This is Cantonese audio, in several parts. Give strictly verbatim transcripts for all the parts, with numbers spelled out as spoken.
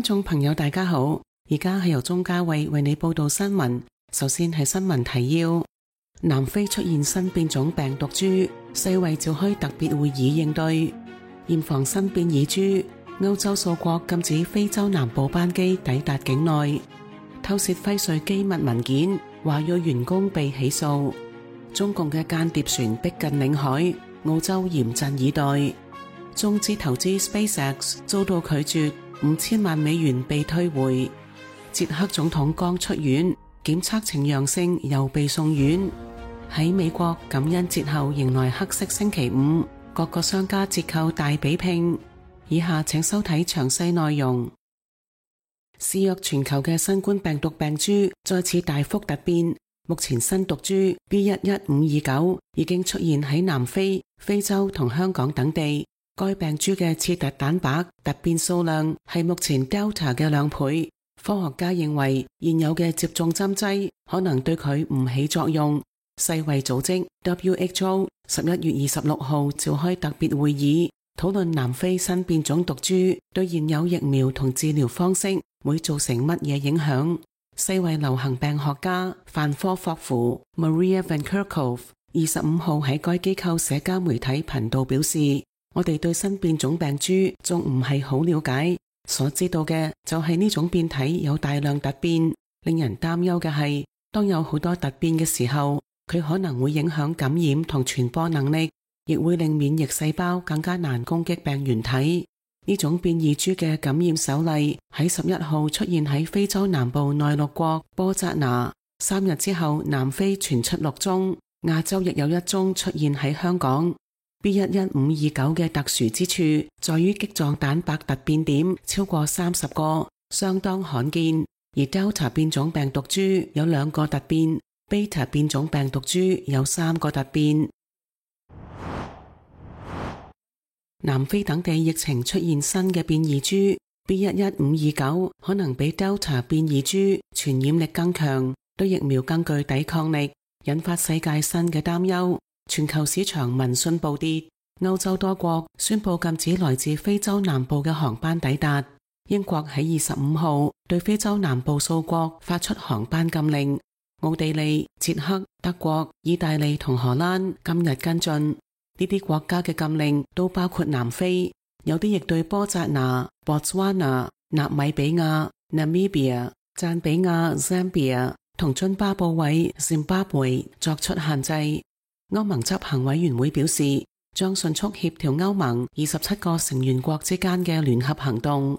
眾朋友大家好，而家係由鍾嘉慧為你報道新聞。首先係新聞提要：南非出現新變種病毒株，世衛召開特別會議應對。嚴防新變異株，歐洲數國禁止非洲南部班機抵達境內。偷竊輝瑞機密文件，華裔員工被起訴。中共嘅間諜船逼近領海，澳洲嚴陣以待。中資投資 SpaceX 遭到拒絕，五千萬美元被退回。捷克總統剛出院，檢測呈陽性又被送院。喺美國感恩節後迎來黑色星期五，各個商家折扣大比拼。以下請收睇詳細內容。肆虐全球嘅新冠病毒病株再次大幅突變，目前新毒株 B 一一五二九已經出現喺南非、非洲同香港等地。該病株嘅刺突蛋白突變數量係目前 Delta 嘅兩倍。科學家認為現有嘅接種針劑可能對佢唔起作用。世衛組織 W H O 十一月二十六號召開特別會議，討論南非新變種毒株對現有疫苗同治療方式會造成乜嘢影響。世衛流行病學家范科霍夫 Maria Van Kerkhove 二十五號喺該機構社交媒體頻道表示，我哋對新變種病株仲唔係好了解，所知道嘅就係呢種變體有大量突變。令人擔憂嘅係，當有好多突變嘅時候，佢可能會影響感染同傳播能力，亦會令免疫細胞更加難攻擊病原體。呢種變異株嘅感染首例喺十一號出現喺非洲南部內陸國波扎拿，三日之後南非傳出六宗，亞洲亦有一宗出現喺香港。B 一一五二九嘅特殊之處在於棘狀蛋白突變點超過三十個，相當罕見。而 Delta 變種病毒株有兩個突變， Beta 變種病毒株有三個突變。南非等地疫情出現新嘅變異株 B 一一五二九，可能比 Delta 變異株傳染力更強，對疫苗更具抵抗力，引發世界新嘅擔憂。全球市場民信暴跌，歐洲多國宣布禁止來自非洲南部嘅航班抵達。英國喺二十五號對非洲南部數國發出航班禁令，奧地利、捷克、德國、意大利同荷蘭今日跟進。呢啲國家嘅禁令都包括南非，有啲亦對波扎拿、Botswana、納米比亞、Namibia、贊比亞、Zambia 同津巴布韋、Zimbabwe 作出限制。歐盟執行委員會表示，將迅速協調歐盟二十七個成員國之間嘅聯合行動。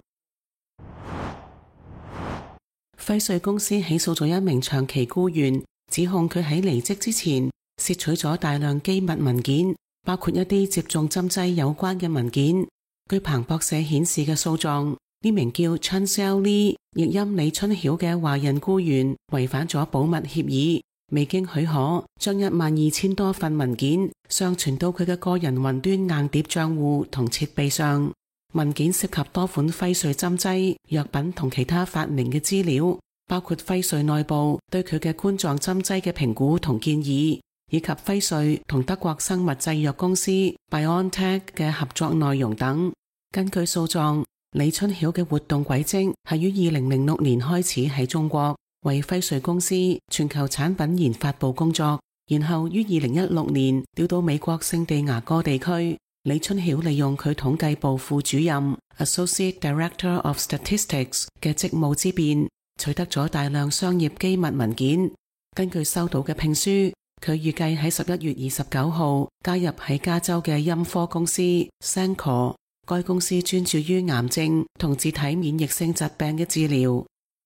輝瑞公司起訴咗一名長期僱員，指控佢喺離職之前竊取咗大量機密文件，包括一啲接種針劑有關嘅文件。據彭博社顯示嘅訴狀，呢名叫 Chancel Lee 譯音李春曉嘅華人僱員違反咗保密協議，未經許可將一萬二千多份文件上傳到佢嘅個人雲端硬碟賬戶同設備上。文件涉及多款輝瑞針劑、藥品同其他發明嘅資料，包括輝瑞內部對佢嘅冠狀針劑嘅評估同建議，以及輝瑞同德國生物製藥公司 BioNTech 嘅合作內容等。根據訴狀，李春曉嘅活動軌跡係於二零零六年開始喺中國為輝瑞公司全球產品研發部工作，然後於二零一六年調到美國聖地牙哥地區。李春曉利用佢統計部副主任 Associate Director of Statistics 嘅職務之便，取得咗大量商業機密文件。根據收到嘅聘書，佢預計喺十一月二十九號加入喺加州嘅陰科公司 Cencor， 該公司專注於癌症同自體免疫性疾病嘅治療。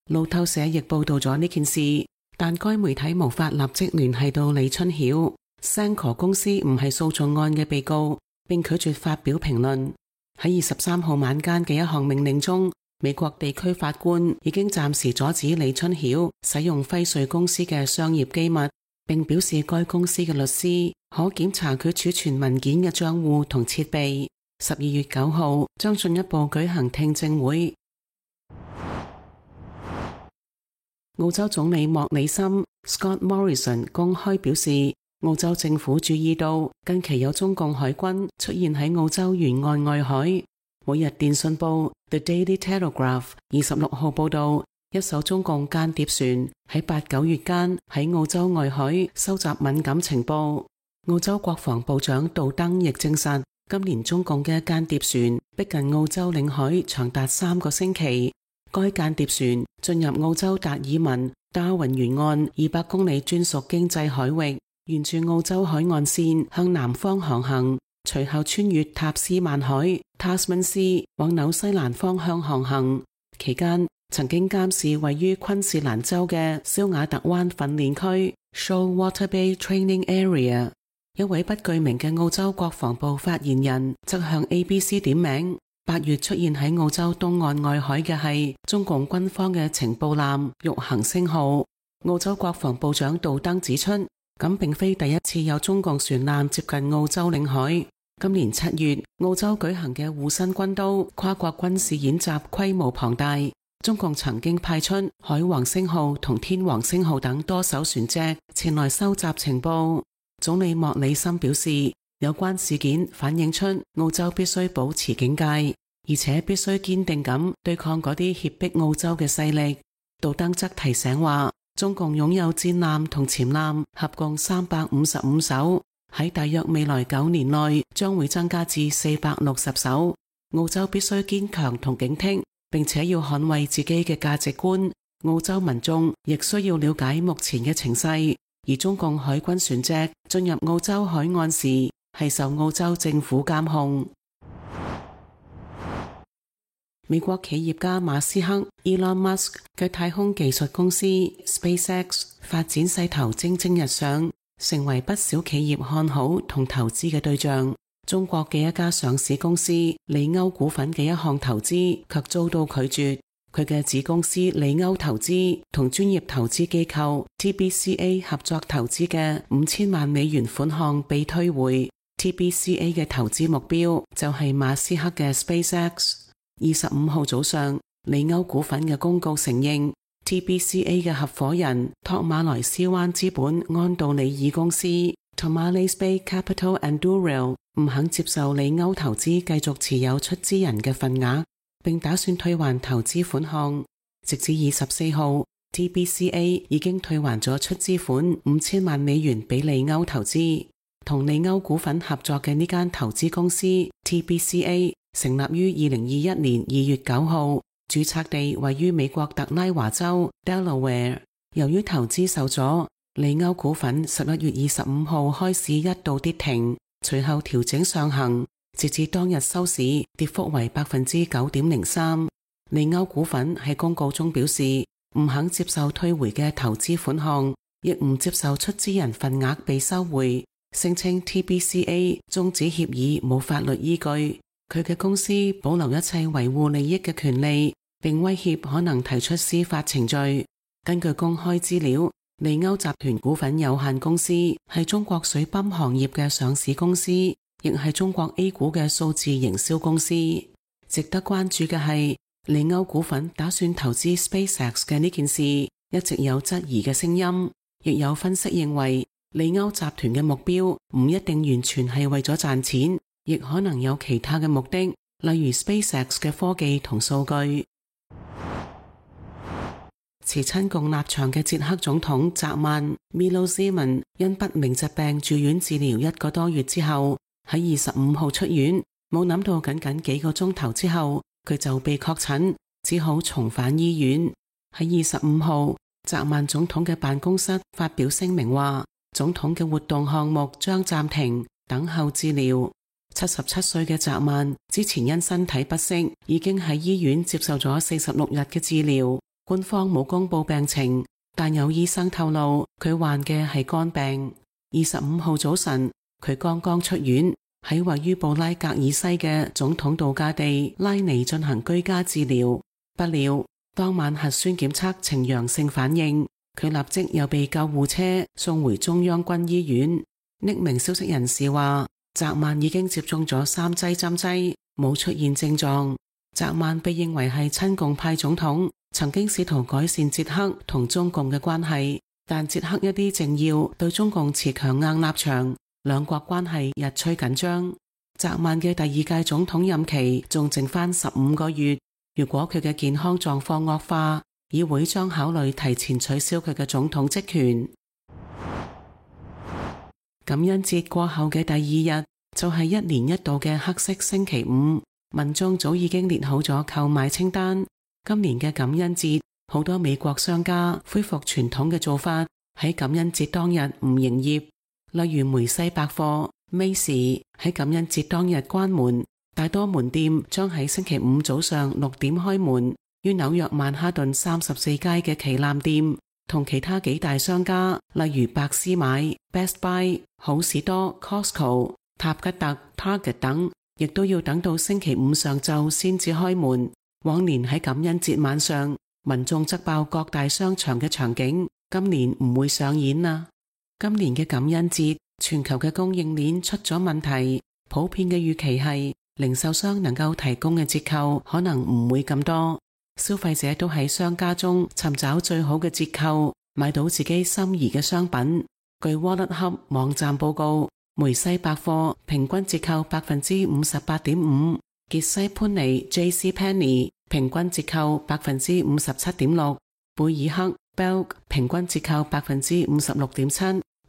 路透社亦報道咗呢件事，但該媒體無法立即聯繫到李春曉。Cencor 公司唔係訴訟案嘅被告，並拒絕發表評論。喺二十三號晚間嘅一項命令中，美國地區法官已經暫時阻止李春曉使用輝瑞公司嘅商業機密，並表示該公司嘅律師可檢查佢儲存文件嘅賬戶同設備。十二月九號將進一步舉行聽證會。澳洲總理莫里森 Scott Morrison 公開表示，澳洲政府注意到近期有中共海軍出現喺澳洲沿岸外海，每日電訊報 The Daily Telegraph 二十六號報道，一艘中共間諜船喺八九月間喺澳洲外海收集敏感情報。澳洲國防部長杜登亦證實，今年中共嘅間諜船逼近澳洲領海長達三個星期。該間諜船進入澳洲達爾文達爾文沿岸二百公里專屬經濟海域，沿住澳洲海岸線向南方航行，隨後穿越塔斯曼海 Tasman Sea 往紐西蘭方向航行。期間曾經監視位於昆士蘭州嘅肖瓦特灣訓練區 Shoalwater Bay Training Area。一位不具名嘅澳洲國防部發言人則向 A B C 點名，八月出現喺澳洲東岸外海嘅係中共軍方嘅情報艦玉行星號。澳洲國防部長杜登指出，咁並非第一次有中共船艦接近澳洲領海。今年七月，澳洲舉行嘅護身軍刀跨國軍事演習規模龐大，中共曾經派出海王星號同天王星號等多艘船隻前來收集情報。總理莫里森表示，有關事件反映出澳洲必須保持警戒，而且必須堅定咁對抗嗰啲脅迫澳洲嘅勢力。杜登則提醒話，中共擁有戰艦同潛艦合共三百五十五艘，喺大約未來九年內將會增加至四百六十艘。澳洲必須堅強同警惕，並且要捍衛自己嘅價值觀。澳洲民眾亦需要了解目前嘅情勢。而中共海軍船隻進入澳洲海岸時，係受澳洲政府監控。美國企業家馬斯克 Elon Musk 嘅太空技術公司 SpaceX 發展勢頭蒸蒸日上，成為不少企業看好同投資嘅對象。中國嘅一家上市公司利歐股份嘅一項投資卻遭到拒絕。佢嘅子公司利歐投資同專業投資機構 T B C A 合作投資嘅五千萬美元款項被退回。T B C A 嘅投資目標就係馬斯克嘅 SpaceX。二十五號早上，利歐股份嘅公告承認 T B C A 嘅合夥人托馬萊斯灣資本安道里爾公司 Tomales Bay Capital and Duriel 唔肯接受利歐投資繼續持有出資人嘅份額，並打算退還投資款項。直至二十四號 T B C A 已經退還咗出資款五千萬美元俾利歐投資。同利歐股份合作嘅呢間投資公司 T B C A 成立於二零二一年二月九號，註冊地位於美國特拉華州 Delaware。 由於投資受阻，利歐股份十一月二十五號開始一度跌停，隨後調整上行，截至當日收市跌幅為百分之九點零三。利歐股份喺公告中表示唔肯接受退回嘅投資款項，亦唔接受出資人份額被收回，聲稱 T B C A 終止協議冇法律依據。佢嘅公司保留一切維護利益嘅權利，並威脅可能提出司法程序。根據公開資料，利歐集團股份有限公司係中國水泵行業嘅上市公司，亦係中國 A 股嘅數字營銷公司。值得關注嘅係，利歐股份打算投資 SpaceX 嘅呢件事一直有質疑嘅聲音，亦有分析認為利歐集團嘅目標唔一定完全係為咗賺錢，亦可能有其他嘅目的，例如 SpaceX 嘅科技同數據。持親共立場嘅捷克總統澤曼 Milo Zeman 因不明疾病住院治療一個多月之後，喺二十五號出院，冇諗到僅僅幾個鐘頭之後，佢就被確診，只好重返醫院。喺二十五號，澤曼總統嘅辦公室發表聲明話，總統嘅活動項目將暫停，等候治療。七十七歲嘅澤曼之前因身體不適，已經喺醫院接受咗四十六日嘅治療。官方冇公布病情，但有醫生透露佢患嘅係肝病。二十五號早晨，佢剛剛出院，喺位於布拉格爾西嘅總統度假地拉尼進行居家治療。不料當晚核酸檢測呈陽性反應，佢立即又被救護車送回中央軍醫院。匿名消息人士話，澤曼已經接種咗三劑針劑，冇出現症狀。澤曼被認為係親共派總統，曾經試圖改善捷克同中共嘅關係，但捷克一啲政要對中共持強硬立場，兩國關係日趨緊張。澤曼嘅第二屆總統任期仲剩返十五個月，如果佢嘅健康狀況惡化，議會將考慮提前取消佢嘅總統職權。感恩節過後嘅第二日就係一年一度嘅黑色星期五，民眾早已經列好咗購買清單。今年嘅感恩節，好多美國商家恢復傳統嘅做法，喺感恩節當日唔營業。例如梅西百貨 Macy 喺感恩節當日關門，大多門店將喺星期五早上六點開門。於紐約曼哈頓三十四街嘅旗艦店同其他幾大商家，例如百思買 Best Buy、好市多 Costco、塔吉特 Target 等，亦都要等到星期五上晝先至開門。往年喺感恩節晚上，民眾擠爆各大商場嘅場景，今年唔會上演啦。今年嘅感恩節，全球嘅供應鏈出咗問題，普遍嘅預期係零售商能夠提供嘅折扣可能唔會咁多，消費者都喺商家中尋找最好嘅折扣，買到自己心儀嘅商品。據 Wallet Hub 網站報告，梅西百貨平均折扣百分之五十八點五，傑西潘尼 J C Penney 平均折扣百分之五十七點六，貝爾克 Belk 平均折扣百分之五十六點七，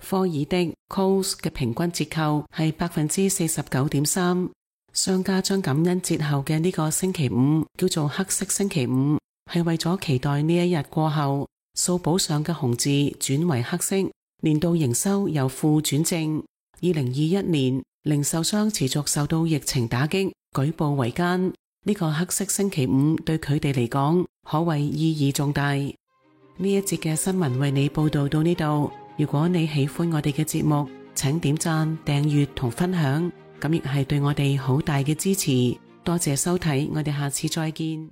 科爾的 Coles 嘅平均折扣係百分之四十九點三。商家將感恩節後嘅呢個星期五叫做黑色星期五，係為咗期待呢一日過後，掃簿上嘅紅字轉為黑色，年度營收由負轉正。二零二一年，零售商持續受到疫情打擊，舉步維艱。呢個黑色星期五對佢哋嚟講，可謂意義重大。呢一節嘅新聞為你報道到呢度。如果你喜歡我哋嘅節目，請點讚、訂閱同分享，咁亦係對我哋好大嘅支持。多謝收睇，我哋下次再見。